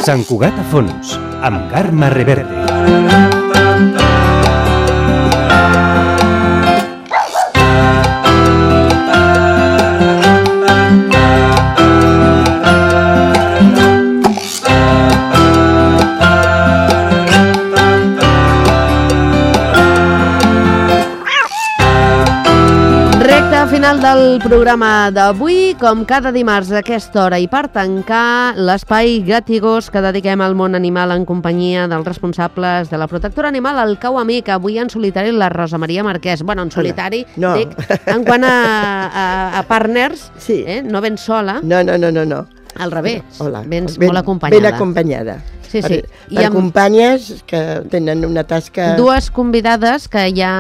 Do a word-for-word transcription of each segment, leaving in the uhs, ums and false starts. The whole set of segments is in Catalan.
Sant Cugat a fons, amb Carme Reverte. Final del programa d'avui, com cada dimarts a aquesta hora, i per tancar l'espai Gatigós que dediquem al món animal en companyia dels responsables de la protectora animal, el Cau Amic, avui en solitari la Rosa Maria Marquès. Bueno, en solitari, no. No. Dic, en quant a, a, a partners, sí. eh? No vens sola. No, no, no, no, no. Al revés, Hola. vens ben, molt acompanyada. Ben acompanyada. Sí, sí. Per, per amb... companyes que tenen una tasca... Dues convidades que ja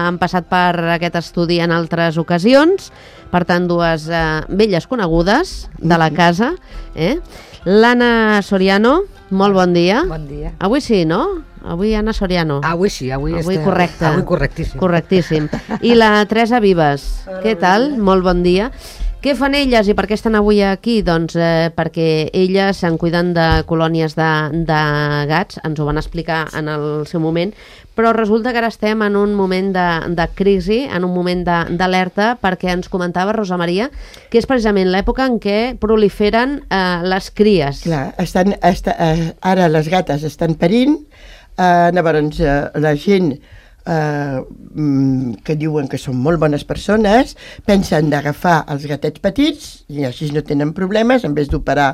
han passat per aquest estudi en altres ocasions, per tant, dues eh, velles conegudes de la casa. Eh? L'Anna Soriano, molt bon dia. Bon dia. Avui sí, no? Avui Anna Soriano. Avui sí, avui, avui està... correcte. Avui correctíssim. Correctíssim. I la Teresa Vives. Què tal? Molt bon dia. Què fan elles i per què estan avui aquí? Doncs eh, perquè elles se'n cuiden de colònies de, de gats, ens ho van explicar en el seu moment, però resulta que ara estem en un moment de, de crisi, en un moment d'alerta, perquè ens comentava Rosa Maria que és precisament l'època en què proliferen eh, les cries. Clar, estan, esta, eh, ara les gates estan parint, eh, llavors eh, la gent Uh, que diuen que són molt bones persones, pensen d'agafar els gatets petits i així no tenen problemes en vez d'operar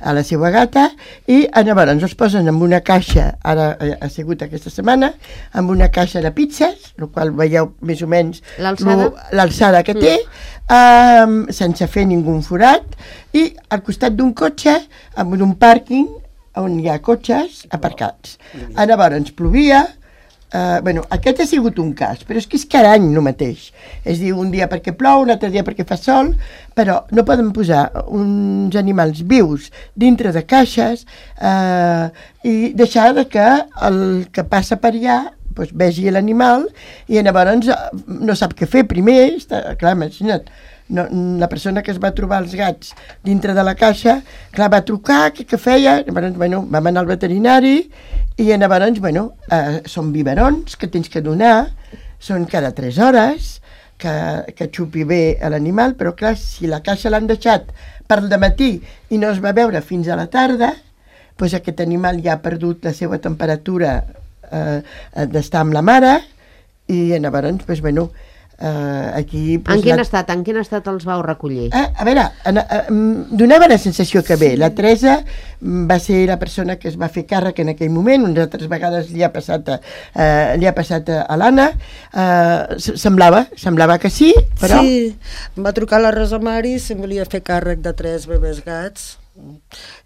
a la seva gata, i llavors els posen en una caixa, ara ha sigut aquesta setmana, amb una caixa de pizzas, el qual veieu més o menys l'alçada que té, mm. uh, sense fer ningú forat, i al costat d'un cotxe amb un pàrquing on hi ha cotxes aparcats. Llavors plovia. Uh, bueno, aquest ha sigut un cas, però és que és cada any el mateix. És dir, un dia perquè plou, un altre dia perquè fa sol, però no poden posar uns animals vius dintre de caixes uh, i deixar que el que passa per allà doncs, vegi l'animal i llavors no sap què fer primer. Està, clar, imagina't, no, la persona que es va trobar els gats dintre de la caixa, clar, va trucar, què, què feia? Llavors, bueno, vam anar al veterinari i llavors, bueno, eh, són biberons que tens que donar, són cada tres hores, que, que xupi bé a l'animal, però clar, si la caixa l'han deixat per al dematí i no es va veure fins a la tarda, doncs aquest animal ja ha perdut la seva temperatura eh, d'estar amb la mare i llavors, doncs, bueno, Uh, aquí, pues, en quin la... estat? En quin estat els vau recollir? Ah, a veure, a, a, a, donava la sensació que bé. La Teresa va ser la persona que es va fer càrrec en aquell moment, unes altres vegades li ha passat a, uh, li ha passat a, a l'Anna. Uh, semblava, semblava que sí, però... Sí, em va trucar la Rosa Mari si em volia fer càrrec de tres bebès gats.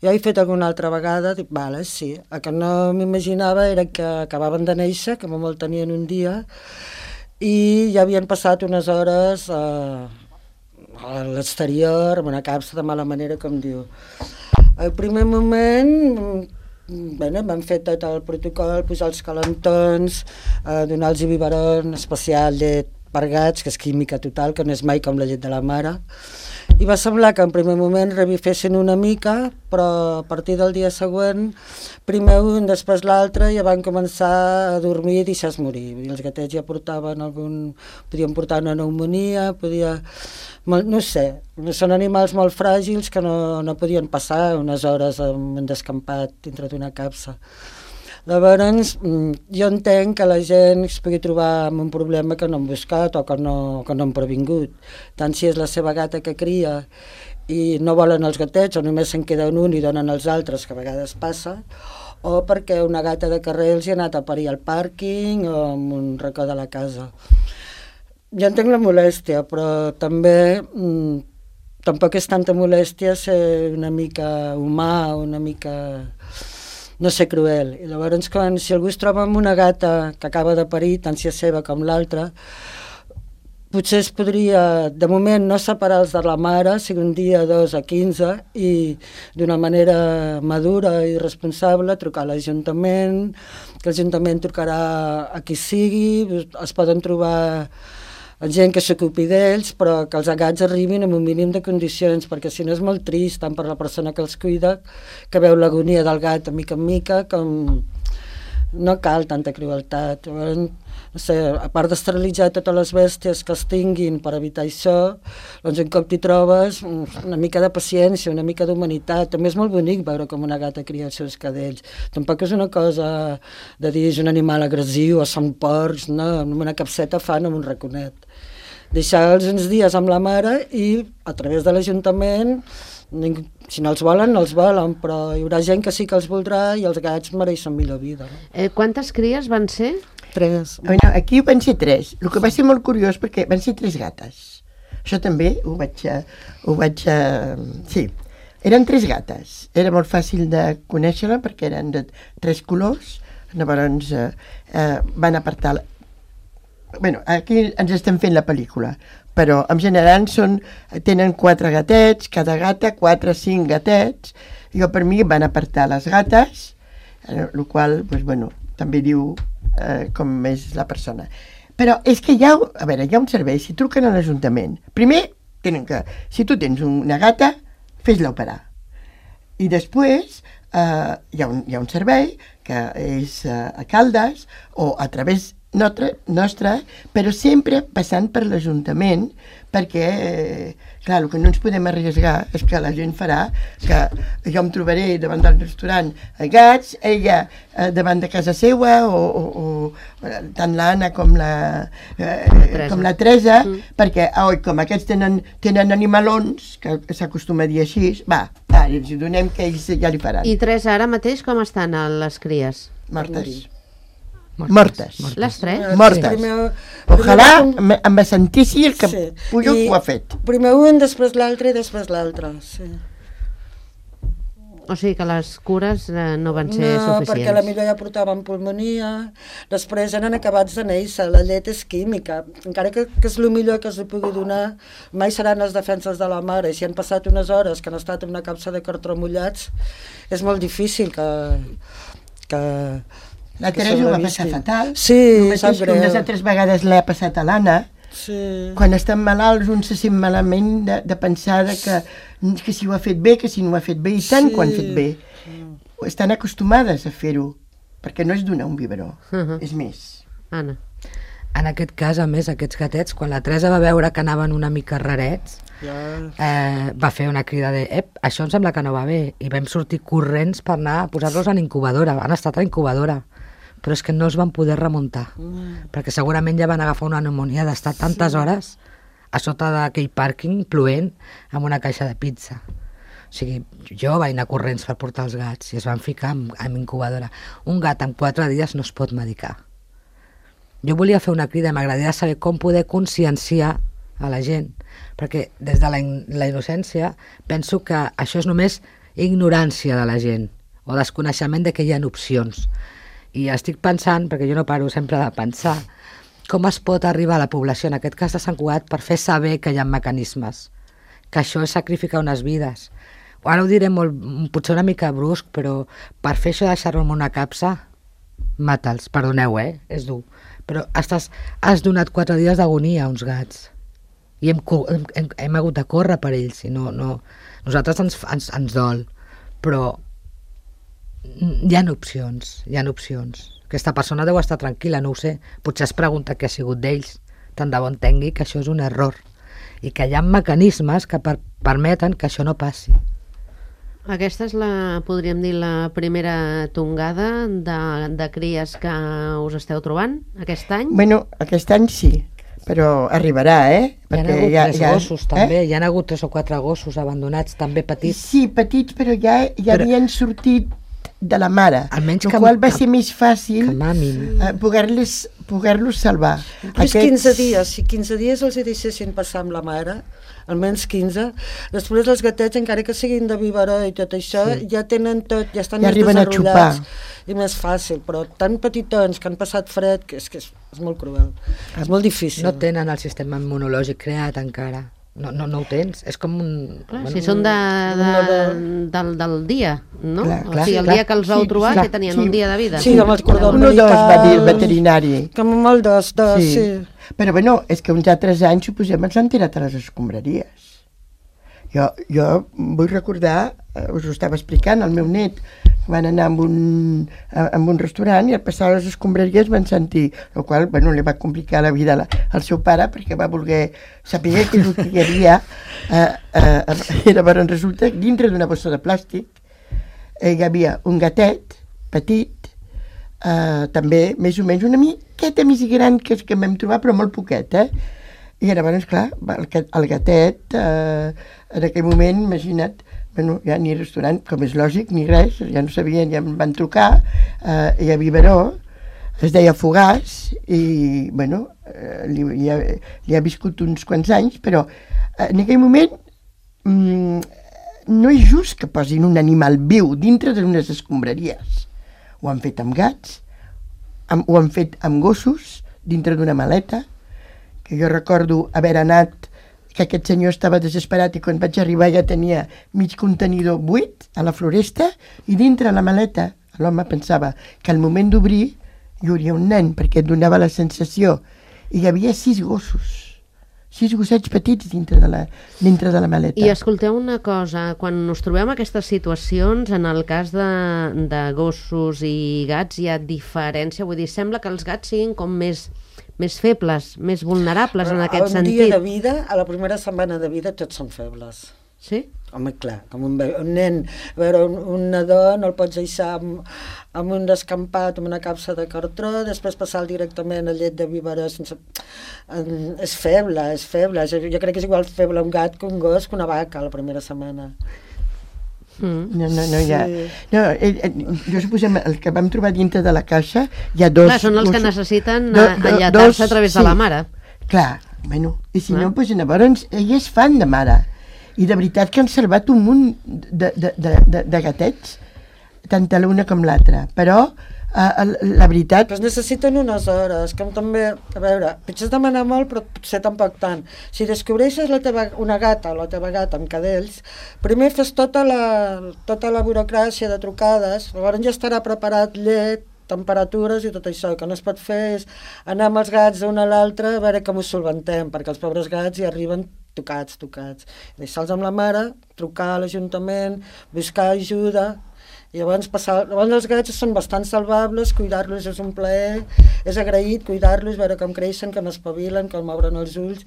Jo he fet alguna altra vegada, dic, vale, sí. El que no m'imaginava era que acabaven de néixer, que molt tenien un dia, i ja havien passat unes hores a, a l'exterior amb una capsa de mala manera, com diu. Al primer moment, bueno, m'han fet tot el protocol, posar els calentons, eh, donar els biberon especial llet per gats, que és química total, que no és mai com la llet de la mare. I va semblar que en primer moment revifessin una mica, però a partir del dia següent, primer un, després l'altre, ja van començar a dormir i deixar-se morir. I els gatets ja portaven algun... podien portar una pneumonia, podia... no sé, són animals molt fràgils que no, no podien passar unes hores en un descampat dintre d'una capsa. Llavors, jo entenc que la gent es pugui trobar amb un problema que no han buscat o que no, que no han previngut. Tant si és la seva gata que cria i no volen els gatets o només se'n queden un i donen els altres, que a vegades passa, o perquè una gata de carrer els hi ha anat a parir al pàrquing o en un racó de la casa. Jo entenc la molèstia, però també mmm, tampoc és tanta molèstia ser una mica humà, una mica... no sé, cruel. I llavors, quan, si algú es troba amb una gata que acaba de parir, tant si és seva com l'altra, potser es podria, de moment, no separar-los de la mare, sigui un dia, dos o quinze, i d'una manera madura i responsable trucar a l'Ajuntament, que l'Ajuntament trucarà a qui sigui, es poden trobar gent que s'ocupi d'ells, però que els gats arribin amb un mínim de condicions, perquè si no és molt trist, tant per la persona que els cuida, que veu l'agonia del gat de mica en mica, com no cal tanta crueltat. No sé, a part d'esterilitzar totes les bèsties que es tinguin per evitar això, doncs un cop t'hi trobes, una mica de paciència, una mica d'humanitat. També és molt bonic veure com una gata cria els seus cadells. Tampoc és una cosa de dir és un animal agressiu o són porcs, no, amb una capseta fan amb un raconet. Deixar-los uns dies amb la mare i a través de l'Ajuntament, si no els volen, no els volen, però hi haurà gent que sí que els voldrà i els gats mereixen millor vida. No? Eh, quantes cries van ser? Tres. Bueno, aquí van ser tres, el que va ser molt curiós perquè van ser tres gates. Això també ho vaig... Ho vaig sí, eren tres gates. Era molt fàcil de conèixer-la perquè eren de tres colors. Llavors eh, eh, van apartar... Bueno, aquí ens estem fent la pel·lícula, però en general són, tenen quatre gatets, cada gata, quatre, cinc gatets. Jo per mi van apartar les gates, el eh, qual, doncs, bueno, també diu eh, com és la persona. Però és que hi ha, a veure, hi ha un servei, si truquen a l'Ajuntament, primer tenen que, si tu tens una gata, fes-la operar. I després eh, hi, ha un, hi ha un servei que és eh, a Caldes o a través nostra, nostra, però sempre passant per l'Ajuntament, perquè, eh, clar, el que no ens podem arriesgar és que la gent farà que jo em trobaré davant del restaurant a gats, ella eh, davant de casa seva, o, o, o tant l'Anna com la, eh, com la Teresa, mm. perquè, oi, com aquests tenen, tenen animalons, que s'acostuma a dir així, va, va, els donem que ells ja li faran. I Teresa, ara mateix com estan les cries? Mortes. Mortes. Mortes. Les tres? Mortes. Sí. Primer, Ojalà primer, em sentissi el que sí. Puyo ho ha fet. Primer un, després l'altre i després l'altre, sí. O sigui que les cures eh, no van ser no, suficients. No, perquè la millor ja portaven pulmonia, després eren acabats de néixer, la llet és química, encara que, que és el millor que es li pugui donar, mai seran les defenses de la mare, i si han passat unes hores que han estat en una capsa de cartró mullats, és molt difícil que... que La Teresa ho va passar fatal. Sí, sap greu. Unes altres vegades l'ha passat a l'Anna. Sí. Quan estan malalts, un se sent malament de, de pensar de que, que si ho ha fet bé, que si no ho ha fet bé, i tant sí. Quan han fet bé. Estan acostumades a fer-ho, perquè no és donar un biberó, uh-huh. és més. Anna. En aquest cas, a més, aquests gatets, quan la Teresa va veure que anaven una mica rarets, yeah. eh, va fer una crida de ep, això em sembla que no va bé, i vam sortir corrents per anar a posar-los en incubadora, han estat a incubadora, però és que no es van poder remuntar, mm. perquè segurament ja van agafar una pneumonia d'estar tantes sí. hores a sota d'aquell pàrquing plovent amb una caixa de pizza. O sigui, jo vaig anar corrents per portar els gats i es van ficar en, en incubadora. Un gat en quatre dies no es pot medicar. Jo volia fer una crida i m'agradaria saber com poder conscienciar a la gent, perquè des de la, in la innocència penso que això és només ignorància de la gent o desconeixement de que hi ha opcions. I estic pensant, perquè jo no paro sempre de pensar, com es pot arribar a la població, en aquest cas de Sant Cugat, per fer saber que hi ha mecanismes, que això és sacrificar unes vides. Ara ho diré molt, potser una mica brusc, però per fer això de deixar-lo en una capsa, mata'ls, perdoneu, eh? És dur. Però estàs, has donat quatre dies d'agonia a uns gats i hem, hem, hem hagut de córrer per ells, i no, no, nosaltres ens, ens, ens dol, però hi ha opcions, hi ha opcions. Aquesta persona deu estar tranquil·la, no ho sé. Potser es pregunta què ha sigut d'ells. Tant de bon tengui que això és un error. I que hi ha mecanismes que per permeten que això no passi. Aquesta és la, podríem dir, la primera tongada de, de cries que us esteu trobant aquest any? Bueno, aquest any sí, però arribarà, eh? Hi ha hagut ja, tres ja, gossos, eh? també. Hi ha hagut tres o quatre gossos abandonats, també petits. Sí, petits, però ja, ja però... havien sortit de la mare, almenys el que, qual va ser més fàcil uh, poder-los poder salvar. Aquests... quinze dies, si quinze dies els hi deixessin passar amb la mare, almenys quinze, després els gatets, encara que siguin de biberó i tot això, sí. ja tenen tot, ja estan ja més desenvolupats i més fàcil, però tan petitons que han passat fred, que és que és, és molt cruel, és molt difícil. No tenen el sistema immunològic creat encara. No, no, no ho tens, és com un... Clar, bueno, si són de, de, del, del dia, no? Clar, o clar, sigui, el clar. dia que els vau Sí, trobar, clar, que tenien sí. un dia de vida. Sí, amb els cordons Un o dos va dir el umbilicals. veterinari. Com molt dos, dos, sí. sí. Però bueno, és que uns altres anys, suposem, ens han tirat a les escombraries. Jo, jo vull recordar, eh, us ho estava explicant, el meu net, van anar amb un, amb un restaurant i al passar les escombraries van sentir, el qual, bueno, li va complicar la vida la, al seu pare perquè va voler saber què és el que hi havia. Eh, eh, llavors resulta que dintre d'una bossa de plàstic eh, hi havia un gatet petit, eh, també més o menys una miqueta més gran que, que vam trobar, però molt poquet, eh? I llavors, clar, el, el gatet, eh, en aquell moment, imagina't, bueno, ja ni restaurant, com és lògic, ni res, ja no sabien, ja em van trucar, eh, i a Viveró, es deia Fogàs, i, bueno, eh, li, li, ha, li ha viscut uns quants anys, però eh, en aquell moment mm, no és just que posin un animal viu dintre d'unes escombraries. Ho han fet amb gats, amb, ho han fet amb gossos, dintre d'una maleta, que jo recordo haver anat, que aquest senyor estava desesperat i quan vaig arribar ja tenia mig contenidor buit a la floresta i dintre la maleta l'home pensava que al moment d'obrir hi hauria un nen perquè et donava la sensació i hi havia sis gossos, sis gossets petits dintre de la, dintre de la maleta. I escolteu una cosa, quan us trobem aquestes situacions, en el cas de, de gossos i gats hi ha diferència, vull dir, sembla que els gats siguin com més... més febles, més vulnerables en aquest sentit. Un dia de vida, a la primera setmana de vida, tots són febles. Sí? Home, clar, com un, un nen, a veure, un, un nadó no el pots deixar amb, amb un descampat, amb una capsa de cartró, després passar directament a llet de biberó sense... És feble, és feble. Jo, jo crec que és igual feble un gat que un gos que una vaca la primera setmana. Mm. No, no, no, hi ha... Sí. No, eh, eh, jo suposem el que vam trobar dintre de la caixa hi ha dos... Clar, són els que gossos- necessiten do- eh, do- enllatar-se dos- a través sí. de la mare. Clar, bueno, i si Clar. no, doncs llavors ell és fan de mare. I de veritat que han salvat un munt de, de, de, de, de gatets, tant l'una com l'altra. Però uh, la veritat... Però es necessiten unes hores, com també, a veure, potser és demanar molt, però potser tampoc tant. Si descobreixes la teva, una gata o la teva gata amb cadells, primer fes tota la, tota la burocràcia de trucades, llavors ja estarà preparat llet, temperatures i tot això. El que no es pot fer és anar amb els gats d'un a l'altre a veure com ho solventem, perquè els pobres gats hi arriben tocats, tocats. Deixar-los amb la mare, trucar a l'Ajuntament, buscar ajuda. I llavors, passar, llavors els gats són bastant salvables, cuidar-los és un plaer, és agraït cuidar-los, veure com creixen, com espavilen, com obren els ulls,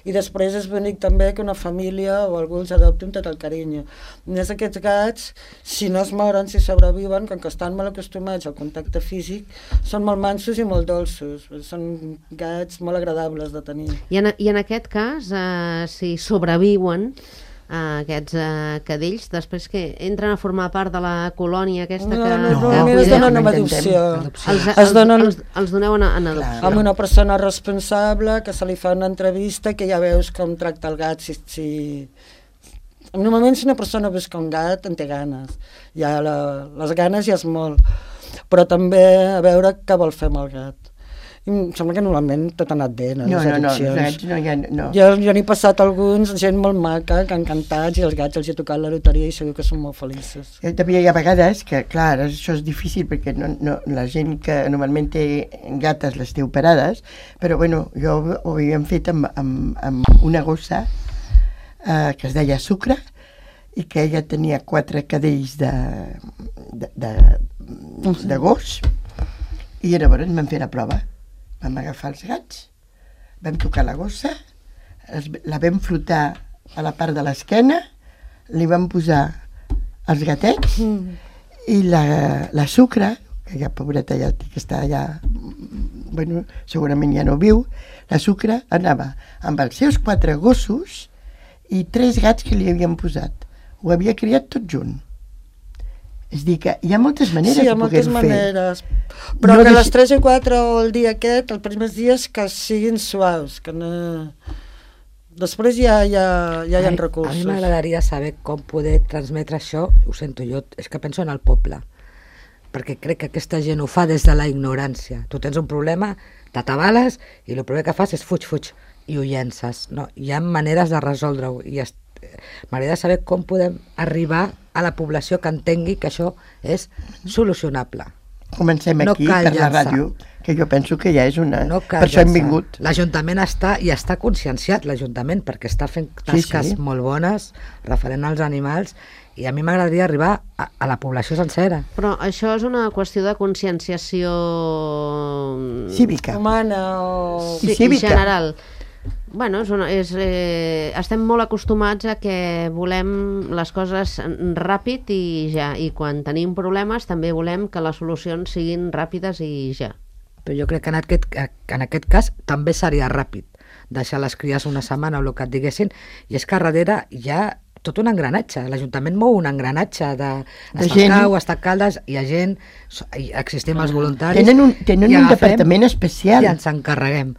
i després és bonic també que una família o algú els adopti amb tot el carinyo. A més, aquests gats, si no es moren, si sobreviuen, com que estan molt acostumats al contacte físic, són molt mansos i molt dolços, són gats molt agradables de tenir. I en, i en aquest cas, eh, si sobreviuen Uh, aquests uh, cadells, després que entren a formar part de la colònia aquesta No, que... no, No, normalment que es cuideu? donen amb intentem. adopció. Els, Es els, donen els, els doneu en, en adopció. amb una persona responsable, que se li fa una entrevista, que ja veus com tracta el gat. Si, si... Normalment si una persona busca un gat en té ganes. Ja la, les ganes ja és molt. Però també a veure què vol fer amb el gat. I em sembla que normalment tot ha anat bé, no? No, Les no, no, adopcions. els gats no hi ha... No. Jo, jo n'he passat alguns, gent molt maca, que encantats, i els gats els he tocat la loteria i segur que són molt feliços. Eh, També hi ha vegades que, clar, això és difícil perquè no, no, la gent que normalment té gates les té operades, però bueno, jo ho havíem fet amb, amb, amb una gossa eh, que es deia Sucre i que ella tenia quatre cadells de, de, de, de gos i llavors vam fer la prova. Vam agafar els gats, vam tocar la gossa, els, la vam frotar a la part de l'esquena, li vam posar els gatets Mm. i la, la Sucre, que ja pobreta ja que està ja, bueno, segurament ja no viu, la Sucre anava amb els seus quatre gossos i tres gats que li havien posat. Ho havia criat tot junt. És dir, que hi ha moltes maneres sí, hi ha de moltes poder-ho fer. maneres. Però No que deixi- les tres i quatre o el dia aquest, els primers dies, que siguin suaus, que no... Després ja, ja, ja hi ha A mi- recursos. A mi m'agradaria saber com poder transmetre això, ho sento jo, és que penso en el poble, perquè crec que aquesta gent ho fa des de la ignorància. Tu tens un problema, t'atabales i el primer que fas és fuig, fuig. i ho llences. No, hi ha maneres de resoldre-ho i est... m'agradaria saber com podem arribar a la població que entengui que això és solucionable. Comencem No aquí cal per la llançar. ràdio, que jo penso que ja és una... No per això hem vingut. L'Ajuntament està, i està conscienciat, l'Ajuntament, perquè està fent tasques Sí, sí. molt bones referent als animals, i a mi m'agradaria arribar a, a la població sencera. Però això és una qüestió de conscienciació... Cívica. Humana o... I Sí, cívica. general. Bueno, és una, és, eh, estem molt acostumats a que volem les coses ràpid i ja, i quan tenim problemes també volem que les solucions siguin ràpides i ja. Però jo crec que en aquest, en aquest cas també seria ràpid deixar les cries una setmana o el que et diguessin, i és que a darrere hi ha tot un engranatge. L'Ajuntament mou un engranatge de, De de gent. Cau, està Caldes, hi ha gent, so- hi existim els voluntaris, Tenen un, tenen i un agafem departament especial. i ens encarreguem.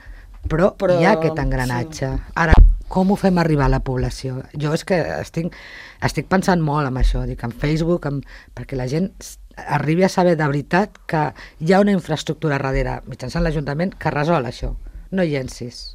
Però, Però, hi ha aquest engranatge. Sí. Ara, com ho fem arribar a la població? Jo és que estic, estic pensant molt en això, dic, en Facebook, en, perquè la gent s- arribi a saber de veritat que hi ha una infraestructura darrere, mitjançant l'Ajuntament, que resol això. No llencis.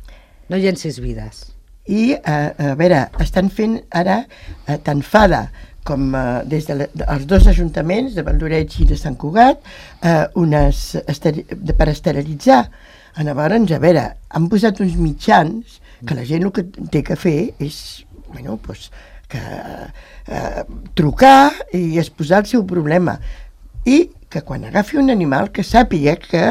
No llencis vides. I, eh, a veure, estan fent ara, eh, tant Fada com eh, des de la, de, els dos ajuntaments, de Valdoreig i de Sant Cugat, eh, unes esteri, de, per esterilitzar. Llavors, a veure, han posat uns mitjans que la gent el que té que fer és, bueno, pues, que, eh, trucar i exposar el seu problema. I que quan agafi un animal que sàpiga que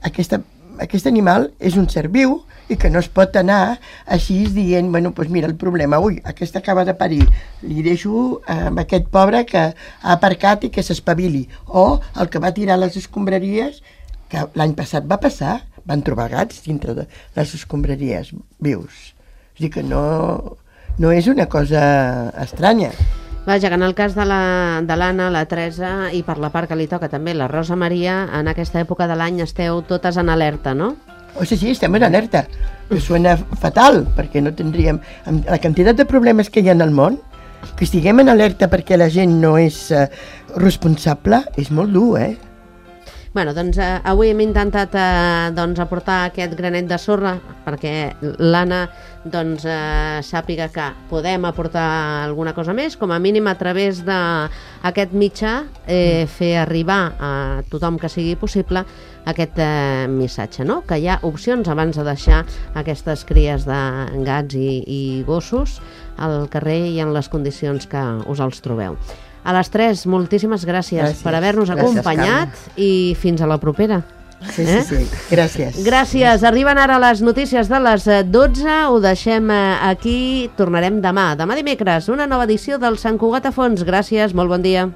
aquesta, aquest animal és un ser viu i que no es pot anar així dient, bueno, doncs mira el problema, ui, aquesta acaba de parir, li deixo eh, amb aquest pobre que ha aparcat i que s'espavili. O el que va tirar les escombraries, que l'any passat va passar, van trobar gats dintre de les escombraries vius. És a dir que no, no és una cosa estranya. Vaja, que en el cas de la- de l'Anna, la Teresa i per la part que li toca també la Rosa Maria, en aquesta època de l'any esteu totes en alerta, no? O sigui, sí, estem en alerta, que suena fatal, perquè no tindríem... Amb la quantitat de problemes que hi ha en el món, que estiguem en alerta perquè la gent no és eh, responsable, és molt dur, eh? Bueno, doncs eh, avui hem intentat eh, doncs, aportar aquest granet de sorra perquè l'Anna doncs, eh, sàpiga que podem aportar alguna cosa més, com a mínim a través d'aquest mitjà eh, fer arribar a tothom que sigui possible aquest eh, missatge, no? Que hi ha opcions abans de deixar aquestes cries de gats i, i gossos al carrer i en les condicions que us els trobeu. A les tres, moltíssimes gràcies, Gràcies. per haver-nos Gràcies, acompanyat i fins a la propera. Sí, sí, sí. Gràcies. Gràcies. Arriben ara les notícies de les eh, dotze, ho deixem eh, aquí, tornarem demà. Demà dimecres, una nova edició del Sant Cugat a Fons. Gràcies, molt bon dia.